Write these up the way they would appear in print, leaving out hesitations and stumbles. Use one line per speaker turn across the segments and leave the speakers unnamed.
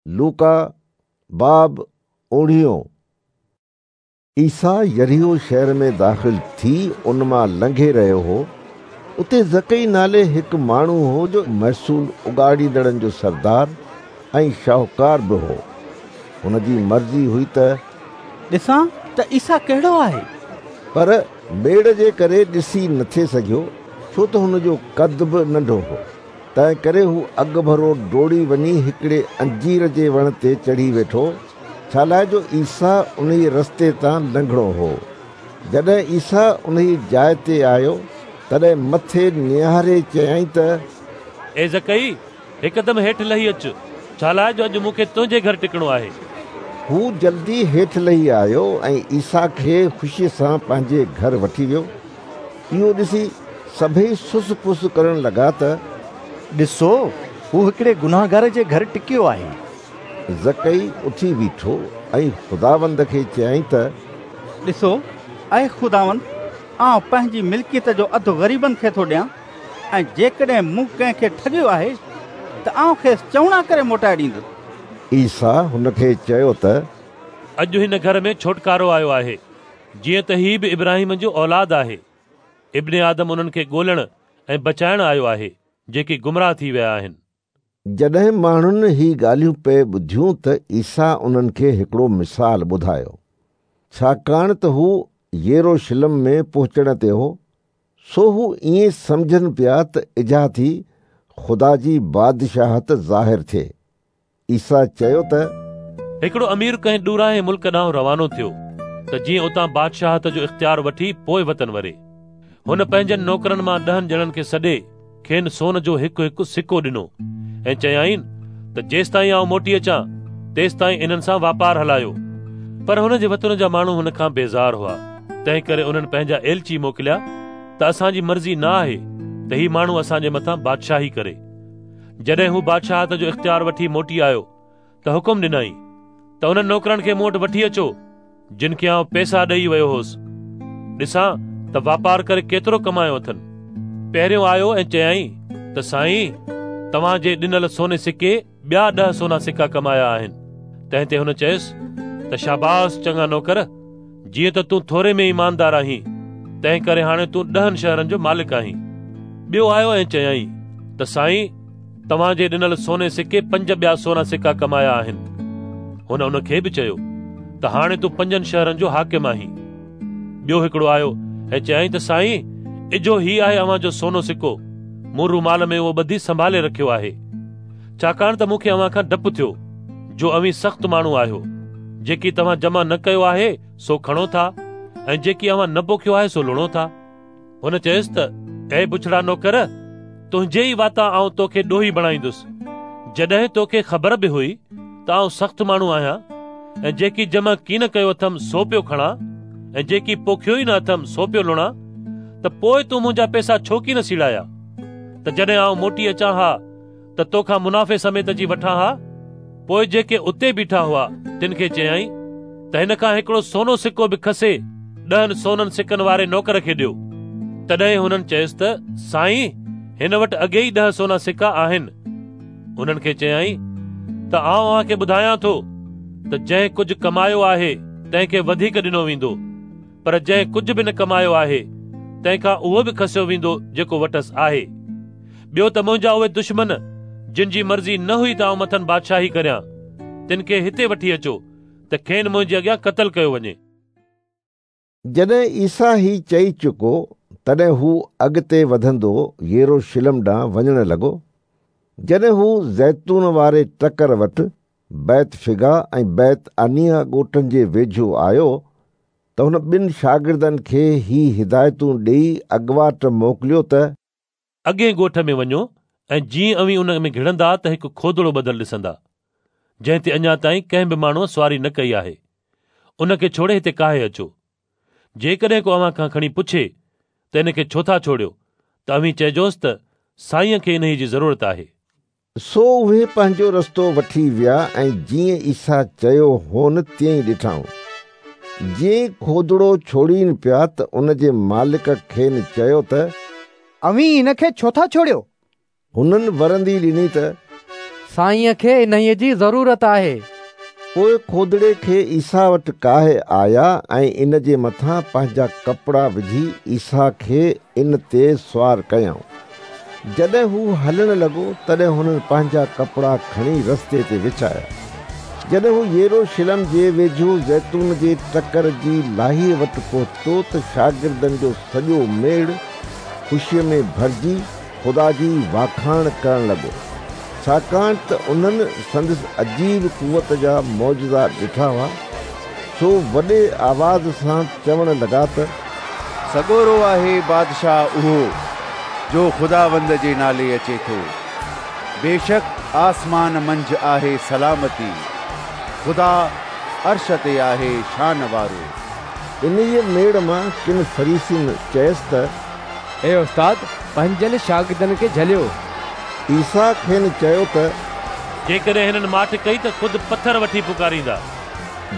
لوڪا باب اوڻيهون. عيسيٰ يريحو شهر ۾ داخل ٿي ان مان لنگهي رهيو هو. اتي زڪئي نالي هڪ ماڻهو هو جو محصول اڳاڙيندڙن جو سردار ۽ شاهوڪار به هو. هن جي مرضي هئي ته
ڏسان ته عيسيٰ ڪهڙو آهي.
پر ميڙ جي ڪري ڏسي نٿي سگهيو، ڇو ته هن جو قد به ننڍو هو. تنهنڪري هو اڳڀرو ڊوڙي وڃي هڪڙي انجير جي وڻ تي چڙهي ويٺو، ڇالاء جو عيسيٰ انهيء رستي تان لنگهڻو هو. جڏهن عيسيٰ انهيء جاء تي آيو، تڏهن مٿي نهاري چيائين ته
اي زڪئي، هڪدم هيٺ لهي اچ، ڇالاء جو اڄ مون کي تنهنجي گهر ٽڪڻو آهي.
هو جلدي هيٺ لهي آيو ۽ عيسيٰ کي خوشيء سان پنهنجي گهر وٺي ويو. اهو ڏسي سڀيئي سس پس ڪرڻ لڳا ته
ڏسو، هو هڪڙي گنهگار جي گهر ٽڪيو آهي.
زڪئي اٿي بيٺو ۽ خداوند کي چيائين ته
ڏسو، اي خداوند، آئون پنهنجي ملڪيت جو اڌ غريبن کي ٿو ڏيان، ۽ جيڪڏهن مون ڪنهن کي ٺڳيو آهي ته آئون کيس چئوڻا ڪري موٽائي ڏيندس.
عيسيٰ هن کي چيو ته
اڄ هن گهر ۾ ڇوٽڪارو آيو آهي، جيئن ته هي به ابراهيم جو اولاد آهي. ابن آدم انهن کي ڳولڻ ۽ بچائڻ آيو آهي، جيڪي گمراهه ٿي ويا آهن.
جڏهن ماڻهن هي ڳالهيون پئي ٻڌيون ته عيسيٰ انهن کي هڪڙو مثال ٻڌايو، ڇاڪاڻ ته هو يروشلم ۾ پهچڻ تي هو، سو هو ائين سمجهن پيا ته اجها ٿي خدا جي بادشاهت ظاهر ٿئي. عيسيٰ چيو ته.
هڪڙو امير ڪنهن ڏورانهين ملڪ ڏانهن روانو ٿيو ته جيئن اتان بادشاهت جو اختيار وٺي پوء وطن وري. هن پنهنجن نوڪرن مان ڏهن ڄڻن کي سڏي کين سون جو هڪ هڪ سڪو ڏنو ۽ چيائين ته جيستائين آئون موٽي اچان تيستائين انهن سان واپار هلايو. پر هن جي وطن جا ماڻهو هن کان بيزار هئا، تنهنڪري انهن پنهنجا ايلچي موڪليا ته اسان جي مرضي نه آهي ته هي ماڻهو اسان جي مٿان بادشاهي ڪري. جڏهن هو بادشاهت جو اختيار وٺي موٽي آيو ته حڪم ڏنائين ته انهن نوڪرن کي مون وٽ وٺي اچو جن کي آئون پئسا ڏيئي ويو هوس، ڏسان ته واپار ڪري ڪيترو ڪمايو اٿن. پهريون آيو ۽ چيائين ته سائين، توهان جي ڏنل سوني سڪي ٻيا 10 سونا سڪا ڪمايا آهن. تنهن تي هن چيس ته شاباس چڱا نوڪر، جيئن ته تون ٿوري ۾ ايماندار آهين، تنهن ڪري هاڻي تون 10 شهرن جو مالڪ آهين. ٻيو آيو ۽ چيائين ته سائين، توهان جي ڏنل سوني سڪي 5 ٻيا سونا سڪا ڪمايا آهن. هن ان کي به چيو ته هاڻي تون 5 شهرن جو حاڪم آهين. ٻيو هڪڙو آيو ۽ چيائين ته سائين، اجهو هي آهي اوهان جو سونو سڪو، مون رومال ۾ اهو ٻڌي سنڀالي رکيو آهي، ڇاڪاڻ ته مون کي اوهان کان ڊپ ٿيو، جو اوهين سخت ماڻهو آهيو. جيڪي توهان جمع نه ڪيو آهي سو کڻو ٿا ۽ جيڪي اوهان نه پوکيو آهي سو لڻو ٿا. هن چيس ته اي بڇڙا نوڪر، تنهنجي ئي واتان آئون توکي ڏوهي بڻائيندس. جڏهن توکي خبر به هئي ته آئون سخت ماڻهو آهيان ۽ جيڪي جمع ڪين ڪيو اٿم سو پيو کڻان ۽ جيڪي پوکيو ئي نه اٿم سو پيو لڻان، ته پوء تون منهنجا پئسا ڇو ڪين سيڙايا ته جڏهن آئون موٽي اچان ها ته توکان منافعي سميت اچي وٺان ها. پوء جيڪي اتي بيٺا هئا تن کي چيائين ته هن کان هڪڙو سونو سڪو به کسي 10 سونن سڪن واري نوڪر کي ڏيو. تڏهن هنن چيس ته سائين، هن وٽ اڳي ئي 10 سونا سڪا آهن. انهن کي چيائين ته آئون اوهان کي ٻڌايان ٿو ته جنهن ڪجهه ڪمايو آهي تنهن کي وڌيڪ ڏنو ويندو، پر جنهن ڪجهه به نه ڪمايو آهي تنهن کان اهو به کسيو ويندو جيڪو وٽس آهي. ٻيو ته منهنجا اهي دشمن جن جي مرضي نه هئي ته آئون مٿن بادشاهي ڪريان، تن کي هتي وٺي اچو ته کين منهنجي اڳيان قتل ڪيو وڃي.
جڏهن عيسيٰ هي چئي چڪو، تڏهن هو اڳتي وڌندو يروشلم ڏانهن وڃڻ لڳو. جڏهن هو زيتون واري ٽڪر وٽ بيت فگاه ۽ بيت عنياه ڳوٺن جي ويجهو آيو ته هن ٻن شاگردن کي هي هدايتون ڏيئي اڳواٽ موڪليو ته.
اڳئين ڳوٺ ۾ وڃو ۽ جيئن اوهين ان ۾ گهڙندا ته هڪ کودڙو ٻڌل ڏسندا، جنهن تي اڃا تائين ڪنهن به ماڻهوء سواري نه ڪئي آهي. ان کي ڇوڙي هتي ڪاهي اچو. جيڪڏهن ڪو اوهان کان کڻي پڇي ته ان کي ڇو ٿا ڇوڙيو ته اوهين چئجوس ته سائينء کي انهيء جي ضرورت آهي.
سو اهي پنهنجو رستو وٺي ويا ۽ جيئن عيسيٰ چيو هون تيئن ئي ڏٺائون. جيئن ئي کودڙو ڇوڙين پيا ته ان جي مالڪ کين چيو ته.
اوهين هن کي ڇو ٿا ڇوڙيو؟
هنن ورندي ڏني ته،
سائينءَ کي انهيءَ جي ضرورت آهي.
پوءِ کودڙي کي عيسيٰ وٽ ڪاهي آيا ۽ ان جي مٿان پنهنجا ڪپڙا وجهي عيسيٰ کي ان تي سوار ڪيائون. جڏهن هو هلڻ لڳو تڏهن هنن پنهنجا ڪپڙا کڻي رستي تي وڇايا. جڏهن هو يروشلم جي ويجهو زيتون جي ٽڪر جي لاهيءَ وٽ پهتو ته شاگردن جو سڄو ميڙ خوشيءَ ۾ ڀرجي خدا جي واکاڻ ڪرڻ لڳو، ڇاڪاڻ ته انهن سندس عجيب قوت جا معجزا ڏٺا هئا. سو وڏي آواز سان چوڻ لڳا ته
سڳورو آهي بادشاهه اهو جو خداوند جي نالي اچي ٿو. بيشڪ آسمان منجهه آهي سلامتي، خدا عرش تي آهي شان وارو.
انهيءَ ميڙ مان ڪن فريسين چيس ته
اي استاد، پنهنجن شاگردن کي جهليو.
عيسيٰ کين چيو ته
جيڪڏهن هنن ماٺ ڪئي ته خود پٿر وٺي پڪاريندا.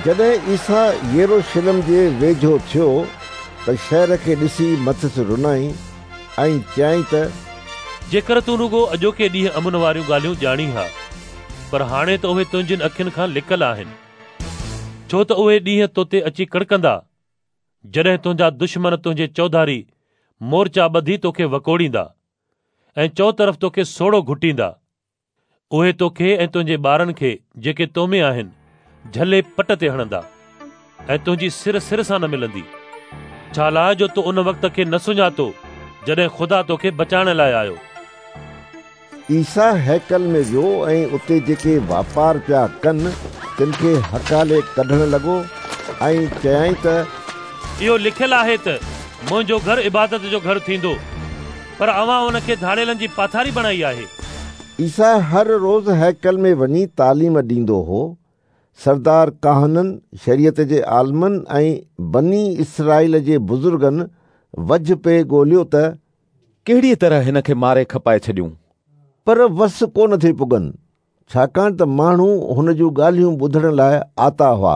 جڏهن عيسيٰ يروشلم جي ويجهو ٿيو ته شهر کي ڏسي مٿس رنائين ۽ چيائين ته
جيڪر تون رڳو اڄوڪي ڏينهن امن واريون ڳالهيون ڄاڻين ها، پر هاڻي ته اهي تنهنجين اکين کان لڪل آهن. ڇو ته اهي ڏينهن تو تي اچي ڪڙڪندا، جڏهن تنهنجا دشمن تنهنجي چوڌاري مورچا ٻڌي توکي وڪوڙيندا ۽ چوطرف توکي سوڙهو گهٽيندا. اهي توکي ۽ تنهنجي ٻارن کي جيڪي تو ۾ آهن جهلي پٽ تي هڻندا ۽ تنهنجي سر سر سان نه ملندي، ڇا لاء جو تو ان وقت کي نه سڃاتو جڏهن خدا توکي بچائڻ لاء آيو.
عيسيٰ هيڪل ۾ ويو ۽ اتي جيڪي واپار پيا ڪن تن کي هڪالي ڪڍڻ لڳو ۽ چيائين ته
اهو لکيل آهي ته منهنجو گهر عبادت جو گهر ٿيندو، پر اوهان ان کي ڌاڙيلن جي پاٿاري بڻائي آهي.
عيسيٰ هر روز هيڪل ۾ وڃي تعليم ڏيندو هو. سردار ڪاهنن، شريعت جي عالمن ۽ بني اسرائيل جي بزرگن وجهه پئي ڳوليو ته
ڪهڙيء طرح هن کي ماري کپائي ڇڏيون.
پر وس ڪونه ٿي پڳن، ڇاڪاڻ ته ماڻهو هن جون ڳالهيون ٻڌڻ لاءِ آتا هئا.